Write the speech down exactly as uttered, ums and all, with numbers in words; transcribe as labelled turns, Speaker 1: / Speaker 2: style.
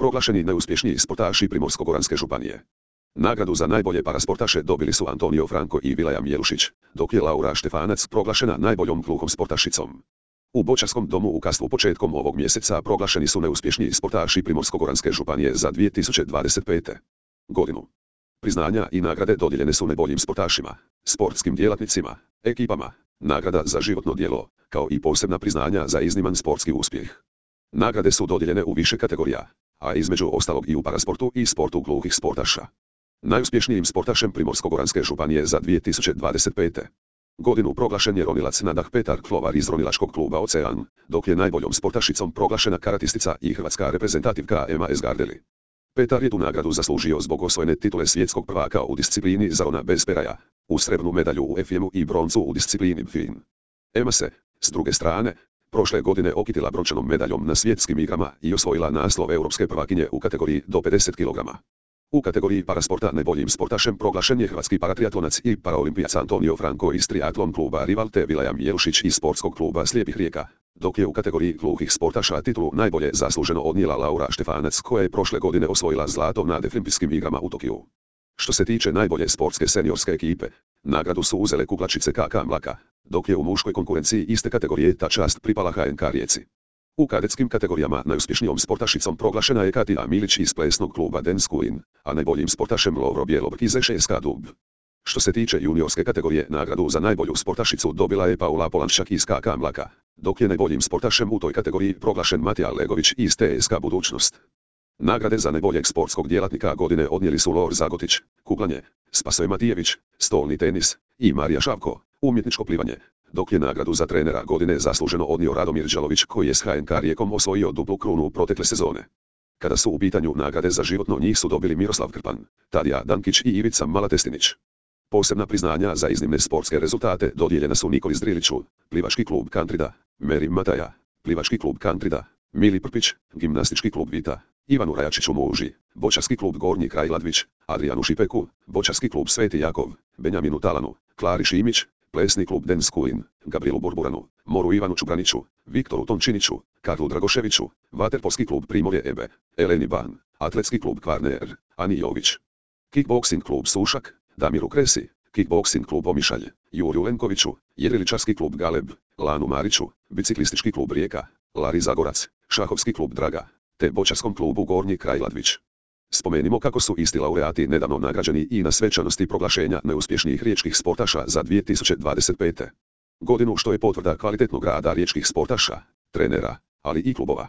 Speaker 1: proglašeni najuspješniji sportaši Primorsko-goranske županije. Nagradu za najbolje parasportaše dobili su Antonio Franko i Vilaja Mijelušić, dok je Laura Štefanac proglašena najboljom gluhom sportašicom. U Boćarskom domu u Kastvu početkom ovog mjeseca proglašeni su najuspješniji sportaši Primorsko-goranske županije za dvije tisuće dvadeset pete. godinu. Priznanja i nagrade dodijeljene su najboljim sportašima, sportskim djelatnicima, ekipama, nagrada za životno djelo, kao i posebna priznanja za izniman sportski uspjeh. Nagrade su dodijeljene u više kategorija, a između ostalog i u parasportu i sportu gluhih sportaša. Najuspješnijim sportašem Primorsko-goranske županije za dvije tisuće dvadeset pete. godinu proglašen je ronilac Nadah Petar Klovar iz ronilačkog kluba Ocean, dok je najboljom sportašicom proglašena karatistica i hrvatska reprezentativka Ema Esgardeli. Petar je tu nagradu zaslužio zbog osvojene titule svjetskog prvaka u disciplini zarona bez peraja, u srebrnu medalju u F M-u i broncu u disciplini Fin. Ema se, s druge strane, prošle godine okitila brončanom medaljom na svjetskim igrama i osvojila naslov europske prvakinje u kategoriji do pedeset kilograma. U kategoriji parasporta najboljim sportašem proglašen je hrvatski paratriatlonac i paraolimpijac Antonio Franko iz triatlon kluba Rival te Vilaja Mijelušić iz sportskog kluba Slijepih Rijeka, dok je u kategoriji gluhih sportaša titulu najbolje zasluženo odnijela Laura Štefanac koja je prošle godine osvojila zlato na Deaflimpijskim igrama u Tokiju. Što se tiče najbolje sportske seniorske ekipe, nagradu su uzele kuglačice K K Mlaka, dok je u muškoj konkurenciji iste kategorije ta čast pripala H N K Rijeci. U kadetskim kategorijama najuspješnijom sportašicom proglašena je Katija Milić iz plesnog kluba Dance Queen, a najboljim sportašem Lovro Bjelobrk iz š s k Dub. Što se tiče juniorske kategorije, nagradu za najbolju sportašicu dobila je Paula Polanščak iz K K Mlaka, dok je najboljim sportašem u toj kategoriji proglašen Matija Legović iz T S K Budućnost. Nagrade za najboljeg sportskog djelatnika godine odnijeli su Lor Zagotić, kuglanje, Spasoje Matijević, stolni tenis i Marija Šavko, umjetničko plivanje, dok je nagradu za trenera godine zasluženo odnio Radomir Đalović koji je s H N K Rijekom osvojio duplu krunu protekle sezone. Kada su u pitanju nagrade za životno, njih su dobili Miroslav Krpan, Tadija Dankić i Ivica Malatestinić. Posebna priznanja za iznimne sportske rezultate dodijeljena su Nikoli Zdriliću, plivački klub Kantrida, Meri Mataja, plivački klub Kantrida, Mili Prpić, gimnastički klub Vita, Ivanu Rajačiću Muži, Boćarski klub Gornji kraj Ladvić, Adrianu Šipeku, Boćarski klub Sveti Jakov, Benjaminu Talanu, Klari Šimić, plesni klub Dance Queen, Gabrielu Burburanu, Moru Ivanu Čubraniću, Viktoru Tončiniću, Karlu Dragoševiću, vaterpolski klub Primorje Ebe, Eleni Ban, atletski klub Kvarner, Ani Jović, kickboksing klub Sušak, Damiru Kresi, kickboksing klub Omišalj, Juriju Lenkoviću, jedriličarski klub Galeb, Lanu Mariću, biciklistički klub Rijeka, Lari Zagorac, šahovski klub Draga, te boćarskom klubu Gornji kraj Ladvić. Spomenimo kako su isti laureati nedavno nagrađeni i na svečanosti proglašenja najuspješnijih riječkih sportaša za dvije tisuće dvadeset pete. godinu, što je potvrda kvalitetnog rada riječkih sportaša, trenera, ali i klubova.